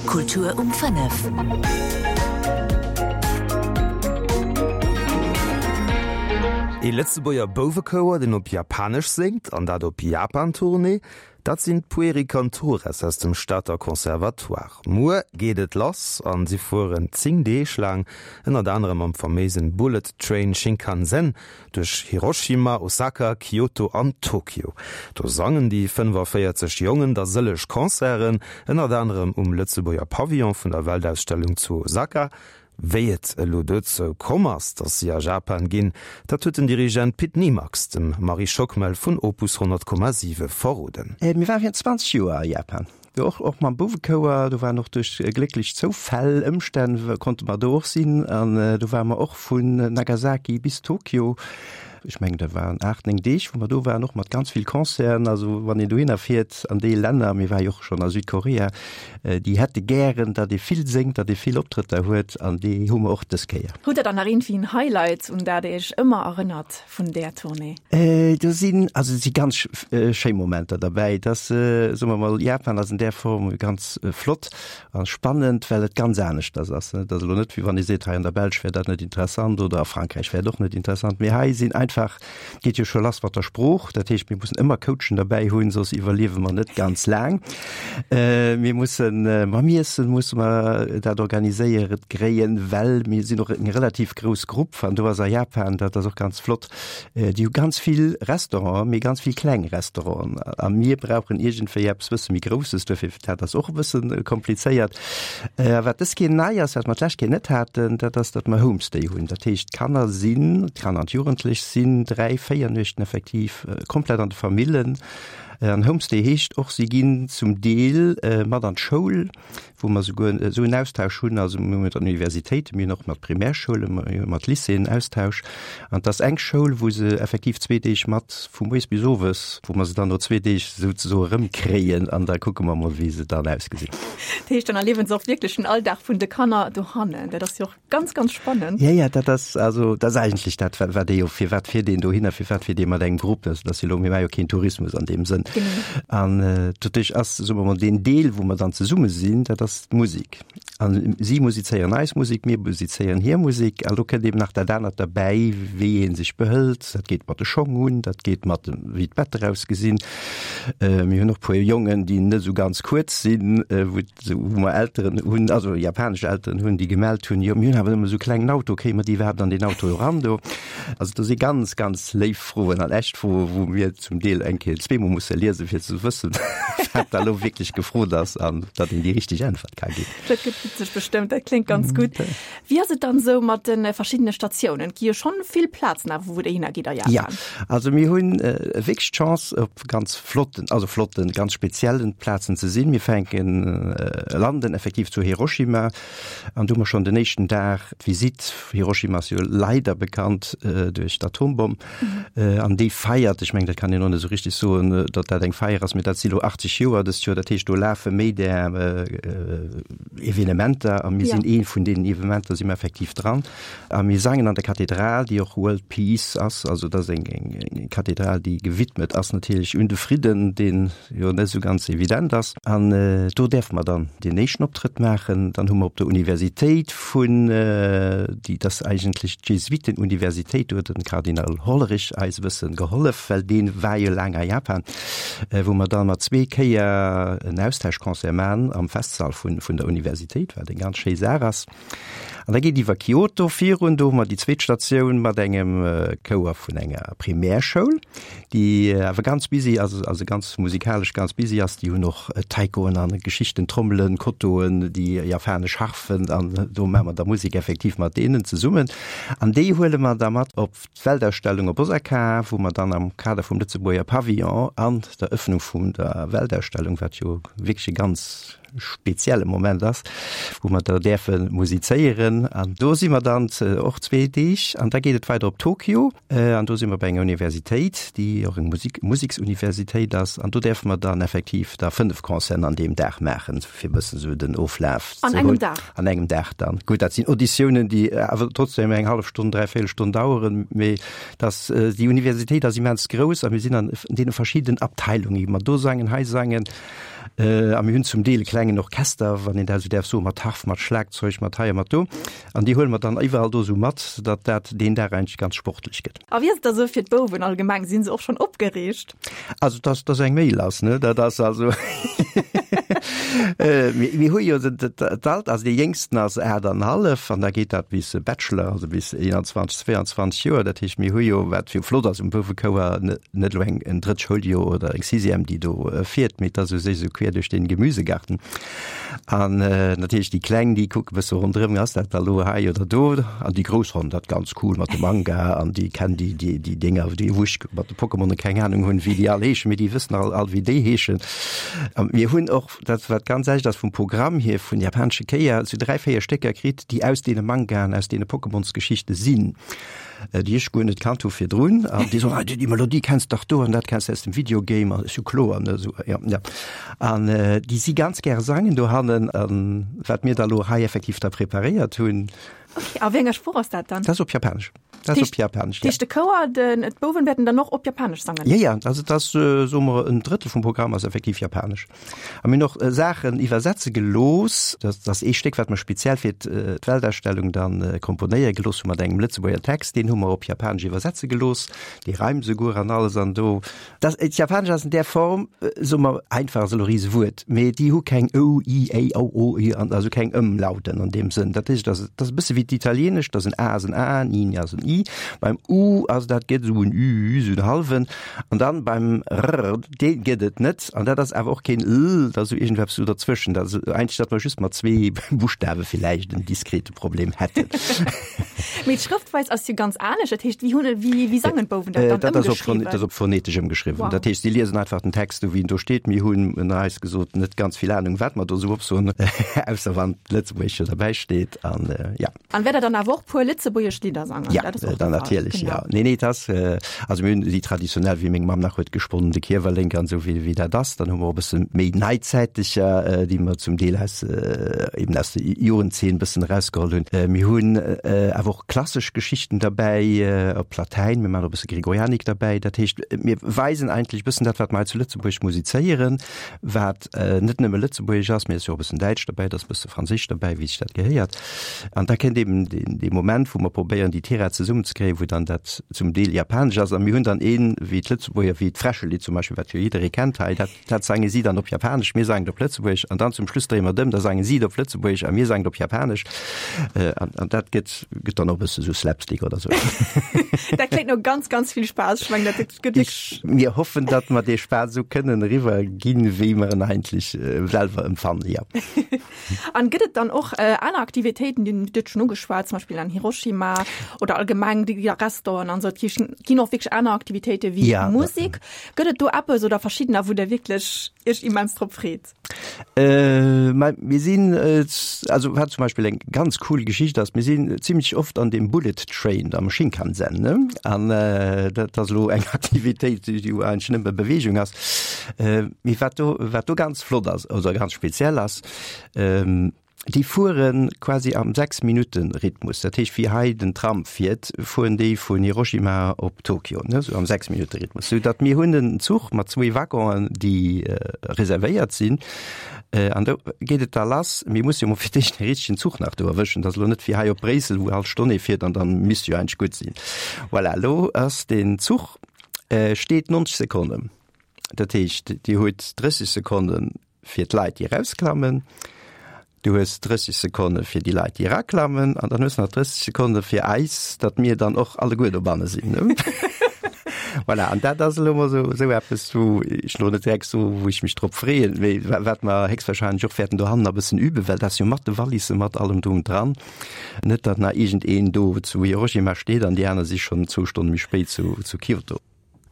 Kultur um 5. Ee Lëtzebuerger Bouwekouer, deen op Japanesch séngt, an dat op Japan-Tournée, dat sinn d'Pueri Cantores aus dem Stater Conservatoire. Muer geet et lass an si fueren 10 Deeg laang, ënnert anerem mam faméisen Bullet Train Shinkansen Duerch Hiroshima, Osaka, Kyoto an Tokio. Do sangen déi 45 Jongen da sëlleg Concerten, ënnert anerem um Lëtzebuerger Pavillon vun der Weltausstellung zu Osaka. Wéi et elo dozou komm ass, datt si a Japan ginn, dat huet den Dirigent Pit Nimax dem Marie Schockmel vun Opus 100,7 verroden. Mir ware virun 20 Joer a Japan. Do och, och mam Bouwekouer, do waren och duerch glécklech Zoufäll, Ëmstänn konnte mer do och sinn an do ware mer och vun Nagasaki bis Tokio. Ech mengen dat waren 8, 9 Deeg wou mer do waren, och mat ganz vill Concerten. Also wann een dohinner fiert an déi Länner, mir ware jo och schonn a Südkorea, déi hätte gären, datt ee vill séngt, datt ee vill Optrëtter huet an déi hu mer och dës Kéier. Hutt Der dann nach iergendwéi en Highlight, un dat Der Iech ëmmer erënnert? vun där Tournée? Do sinn, also et si ganz schéi Momenter derbäi. Et ass, soe mer mol, Japan ass an där Form ganz flott a spannend, well et ganz aneschters ass. Et ass elo net, wéi wann ee seet, hei an der Belsch wär dat net interessant oder a Frankräich wär et och net interessant. Mee hei sinn einfach, et geet jo scho lass mat der Sprooch, dat heescht, mir mussen ëmmer Coachen derbäi hunn, soss iwwerliewe mer net ganz laang. Mir mussen mam Iessen musse mer dat organiséiert kréien, well mir sinn och eng relativ grouss Grupp an do ass a Japan, dat ass och ganz flott, déi hu ganz vill Restauranten, mee ganz vill kleng Restauranten a mir brauchen iergendwéi eppes bësse méi Grousses, duerfir dat ass och e bësse komplizéiert. A wat dës Keer nei ass, wat mer d'lescht Keer net haten, dat ass, datt mer Homestay hunn. Dat heescht, d'Kanner sinn, d'Kanner an d'Jugendlech sinn 3, 4 Nuechten effektiv komplett an de Famillen. An Homestay heescht och, si ginn zum Deel mat an d'Schoul, wou mer souguer esou en Austausch hunn, also mir hu mat der Universitéit, mir hunn och mat Primärschoulen, mir hu mat Lycéeën Austausch. An et ass eng Schoul, wou se effektiv zwee Deeg mat vu moies bis owes, wou mer se dann no zwee Deeg souzesoe erëmkréien an da kucke mer mol, wéi se dann ausgesinn. Dat heescht, dann erliewen se och wierklech den Alldag vun de Kanner dohannen. Dat ass jo och Ganz, ganz spannend. Ja, ja, dat ass, also, dat ass eigentlech dat, wat, wat ee jo, firwat fiert een dohinner, firwat fiert ee mat engem Grupp, dat ass jo elo, mir maache jo keen Tourismus an deem Sënn. Genau. An doduerch ass, soe mer mol, deen Deel, wou mer dann zesumme sinn, dat ass d'Musek. An si musizéieren eis Musek, mir musizéieren hir Musek. An do kënnt eben nach dat anert derbäi, wéi ee sech behëlt. Dat geet mat de Schong un, dat geet mat dem, wéi d'Better ausgesinn. Mir hunn och e puer Jongen, déi net esou ganz kuerz sinn, wou Sou wou mer Elteren hunn, also japanesch Elteren hunn, déi gemellt hunn, jo mir hunn awer nëmme sou klengen Auto, kréie mer déi iwwerhaapt an deen Auto eran do? Also do si ganz, ganz léif Froen an echt Froen, wou mir zum Deel eng Kéier zweemol musse liesen, fir ze wëssen, wat da lo wierklech gefrot ass an datt een déi richteg Äntwert ka ginn. Dat gëtt witzeg bestëmmt, dat kléngt ganz gutt. Wéi ass et dann esou mat de verschiddene Statiounen? Et gi jo schonn vill Plazen awer, wou Der hinner gitt a Japan. Ja, also mir hunn wierklech d'Chance, op ganz flotten, also flotten, ganz speziellen Plazen ze sinn. Mir fänken, landen effektiv zu Hiroshima an do hu mer schonn den éischten Dag d'Visitt. Hiroshima ass jo leider bekannt duerch d'Atombomm an déi feiert, ech mengen dat kann een och net esou richteg soen, datt dat eng Feier ass, mee dat si lo 80 Joer dëst Joer, dat heescht do lafe méi där Evenementer a mir sinn ee vun deenen Evenementer si mer effektiv dran. A mir sangen an der Kathedral, déi och World Peace ass, also dat ass eng eng Kathedral, déi gewidmet ass natierlech un de Fridden, deen jo net esou ganz evident ass. An do däerfe mer dann deen éischten Optrëtt maachen. Dann hu mer op der Universitéit vun, déi dat ass eigentlech d'Jesuitenuniversitéit, do huet den Kardinal Hollerich eis e bësse gehollef, well dee war jo laang a Japan, wou mer dann mat zwee Kéier en Austauschconcert maachen am Festsall vun vun der Universitéit, wat eng ganz schéi Saach ass. An da geet iwwer Kyoto virun, do hu mer déi zweet Statioun mat engem Chouer vun enger Primärschoul, déi awer ganz busy ass, also ganz musikalesch ganz busy ass. Déi hunn och Taikoen an Geschichten, Trommelen, Kotoen, déi japanesch Harfen an do maache mer da Musek effektiv mat deenen zesummen. An déi huele mer da mat op d'Weltausstellung op Osaka, wou mer dann am Kader vum Lëtzebuerger Pavillon an der Ëffnung vun der Weltausstellung, wat jo wierklech e ganz spezielle Moment ass, wou mer da däerfe musizéieren. An do si mer dann och zwee Deeg an da geet et weider op Tokio an do si mer bei enger Universitéit, déi och eng Musik Museksuniversitéit ass an do däerfe mer dann effektiv da 5 Concerten an deem Dag maachen, fir e bëssen esou den Oflaf An engem Dag? An engem Dag dann. Gutt, dat sinn Auditiounen, déi awer trotzdem eng hallef Stonn, dräivéierel Stonn daueren, mee dass déi Universitéit ass immens grouss a mir sinn an deene verschiddenen Abteilungen, gi mer do sangen, hei sangen. A mir hunn zum Deel e klengen Orchester, wann een dat esou däerf soen, mat Harf, mat Schlagzeug, mat hei a mat do. An déi huele mer dann iwwerall do esou mat, datt dat deen Dag eigentlech ganz sportlech gëtt. A wéi ass et da sou fir d'Bouwen allgemeng? Sinn se och schonn opgereegt? Also dass dass eng Mail ass, ne, dat ass also mir hu jo d'Alter, also dee Jéngsten ass 8 an hallef an da geet dat bis Bachelor, also bis 21, 22 Joer. Dat heescht, mir hu jo, wat jo flott ass um Bouwekouer, net elo eng en drëtt Schouljoer oder eng Sixième, déi do fiert, mee et ass u sech esou quer duerch den Gemüsegarten. An natierlech déi Kleng, déi kucke bësse ronderëm, ass dat da lo hei oder do? An déi Grouss fannen dat ganz cool mat de Manga an déi kennen déi, déi, déi Dénger, déi wou ech mat de Pokémonen keng Anung hunn, wéi déi all heeschen, mee déi wëssen all, all wéi déi heeschen. A mir hunn och, dat wat ganz echt ass vum Programm hier vun japanesche Kéier, sou 3, 4 Stécker kritt, déi aus deene Mangaen, aus deene Pokémonsgeschichte sinn. Äh, déi ech guer net kannt hu virdrun. An déi soen, ah, déi Melodie kenns dach do an dat kenns de aus dem Videogame an ech so kloer, ne, so, ja, ja. An äh, déi si ganz gäre sangen dohannen, an wat mir da lo hei effektiv da preparéiert hunn. Okay, a wéi enger Sprooch ass dat dann? Dat ass op Japanesch. Dat ass op Japanesch, ja. De Chouer, den, d'Bouwen wäerten dann och op Japanesch sangen? Ja, ja, also dat ass, soe mer, en Drëttel vum Programm ass effektiv Japanesch. A mir hunn och Saachen iwwersetze gelooss. Dat ass ee Stéck, wat mer speziell fir d'Weltausstellung dann komponéiere gelooss hu mat engem Lëtzebuerger Text. Deen hu mer op Japanesch iwwersetze gelooss, dee reimt esouguer an alles an do. Dat Japanesch ass an där Form, soe mer, einfach ass elo e Risewuert, mee déi hu keng ou, i, éi, au, o, ü an also keng Ëmlauten an deem Sënn. Dat heescht, dat ass e bësse wéi d'Italienescht, dass en a ass en a, en i ass en i. Beim u ass dat gëtt esou en ü, esou en hallwen. An dann beim r, dee gëtt et net. An dat ass awer och keen l, dat ass esou iergendweppes esou derzwëschen. Dat ass eigentlech, datt mer just mat zwee Buschtawe villäicht en diskrete Problem hätten. Mee d'Schrëftweis ass jo ganz anescht. Dat heescht, wéi hunn, wéi, wéi sangen d'Bouwen dat dann Dat ass op, ëmgeschriwwen? dat ass op phonetesch ëmgeschriwwen. Wow. Dat heescht, si liesen einfach den Text esou, wéi en do steet. Mir hunn ënner eis gesot net ganz vill Anung, wat mer do esou opsoen, ausser wann d'Lëtzebuergesch jo derbäi steet. An ja. An wäert der dann awer och puer lëtzebuergesch Lidder sangen? Ja, dat ass och dann natierlech, ja. Nee, nee, dat ass, also mir hunn déi traditionell, wéi meng Mamm nach huet gesponnen, de Kiewerlénk an esou, wéi, wéi dat ass. Dann hu mer och e bësse méi neizäiteger, déi mer zum Deel aus, eben aus der Jugendzeen e bëssen erausgeholl hunn. Mir hunn awer och klassesch Geschichten derbäi, op Latäin, mir maachen och e bësse Gregorianik derbäi. Dat heescht, mir weisen eigentlech e bëssen dat, wat mer hei zu Lëtzebuerg musizéieren, wat net nëmme Lëtzebuergesch ass, mee et ass jo och e bëssen Däitsch derbäi, et ass e bësse Franséisch derbäi, wéi sech dat gehéiert. An da kënnt eben dee Moment, wou mer probéieren, déi Tirade zesummenzekréien, wou dann dat zum Deel Japanesch ass. A mir hunn dann een, wéi d'Lëtzebuerger, wéi d'Fräschelidd zum Beispill, wat jo jidderee kennt hei, dat, dat sange si dann op Japanesch, mir sangen et op Lëtzebuergesch. An dann zum Schluss dréie mer et ëm, da sange si et op Lëtzebuergesch a mir sangen et op Japanesch. An, an dat gëtt, gëtt dann och e bësse sou Slapstick oder sou. Dat kléngt no ganz, ganz vill Spaass. Ech mengen, dat gëtt wierklech. Mir hoffen, datt mer dee Spaass esou kënnen eriwwer ginn, wéi mer en eigentlech selwer empfannen, jo. An gëtt et dann och aner Aktivitéiten, déi du huet schonn ugeschwat, zum Beispill an Hiroshima oder allgemeng déi Restauranten an esou, et ginn och wierklech aner Aktivitéite wéi ja, Musek. Gëtt et do eppes oder verschiddener, wou der wierklech Iech immens drop freet? Äh, mir sinn äh, also wat zum Beispill eng ganz cool Geschicht ass, mir sinn zimmlech oft an dem Bullet Train am Shinkansen ne? An äh, dat ass lo eng Aktivitéit, déi eigentlech nëmme Bewegung ass. Äh, mee wat do, wat do ganz flott ass oder ganz speziell ass, ähm, déi fuere quasi am 6 Minutten Rhythmus. Dat heescht wéi hei den Tram fiert, fueren déi vun Hiroshima op Tokio, ne, sou am 6 Minutte Rhythmus. Sou datt mir hunn en Zuch mat zwee Waggonen, déi reservéiert sinn, an do geet et da lass. Mir musse jo mol fir d'éischt de richtegen Zuch nach do erwëschen. Dat ass elo net wéi hei op Bréissel, wou all Stonn ee fiert an dann misst jo eigentlech gutt sinn. Voilà, elo ass deen Zuch steet 90 Sekonnen. Dat heescht, Dir hutt 30 Sekonne fir d'Leit, déi erausklammen, du hues 30 Sekonne fir déi Leit, déi eraklammen an dann hues du nach 30 Sekonne fir eis, datt mir dann och alleguer dobanne sinn. Voilà, an dat ass elo mol esou, esou eppes, wou ech elo net direkt soen, wou ech mech drop freeën, mee wat mer héchstwahrscheinlech och wäerten dohannen e bëssen üben, well dat ass jo mat de Wallissen, mat allem drum dran. Net, datt nach iergendeen do zu Hiroshima steet an déi aner si schonn zwou Stonne méi spéit zu, zu Kyoto.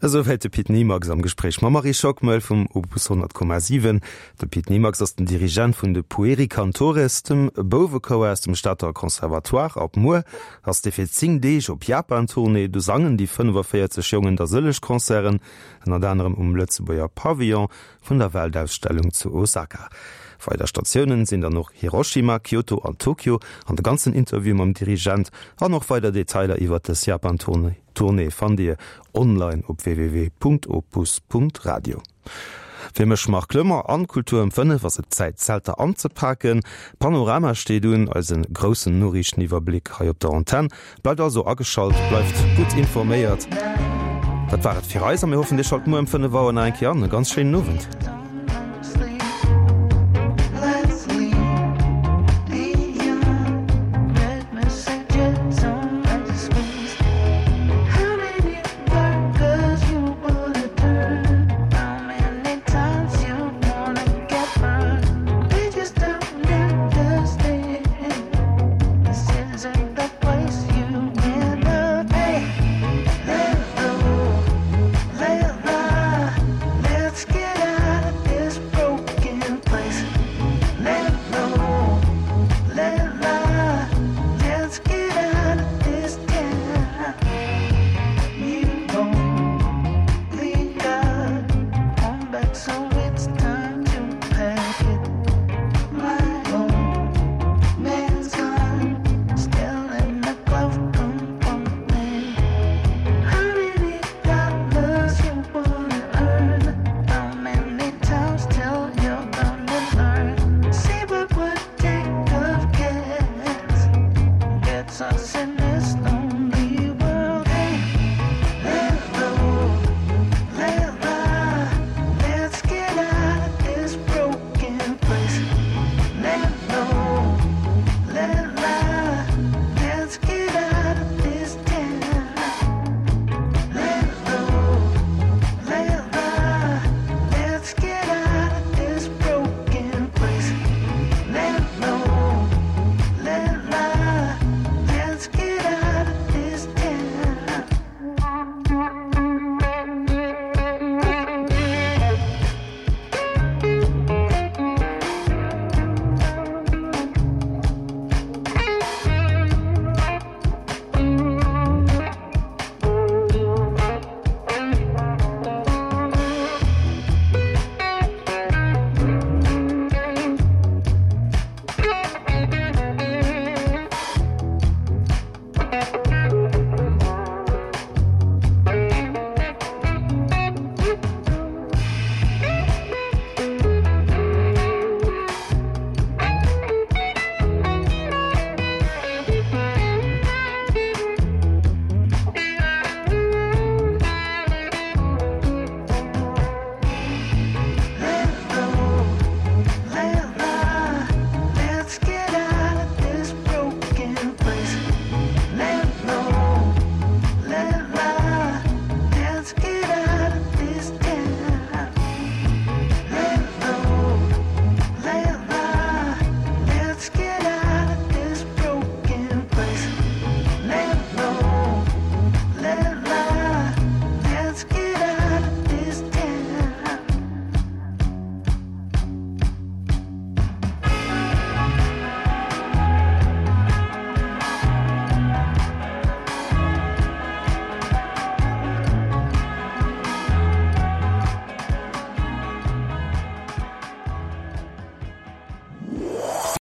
Esouwäit de Pit Nimax am Gespréich mam Marie Schockmel vum Opus 100,7. De Pit Nimax ass den Dirigent vun de Pueri Cantores, dem Bouwechouer aus dem Stater Conservatoire. Ab muer ass dee fir 10 Deeg op Japan-Tournée. Do sangen déi 45 Jongen da sëlleg Concerten, ënnert anerem um Lëtzebuerger Pavillon vun der Weltausstellung zu Osaka. Weider Statiounen sinn dann och Hiroshima, Kyoto an Tokio. An de ganzen Interview mam Dirigent an och weider Detailer iwwert dës Japan-Tournée fannt Dir online op www.opus.radio. Fir mech, Marc Lömmer, an Kultur um 5 ass et Zäit d'Zelter anzepaken. Panorama steet un, eise groussen Noriichteniwwerbléck hei op der Antenn. Bleift also ageschalt, bleift gutt informéiert. Dat war et fir eis a mir hoffen dir schalt muer ëm 5 Auer nach eng Kéier an. E ganz schéinen Owend.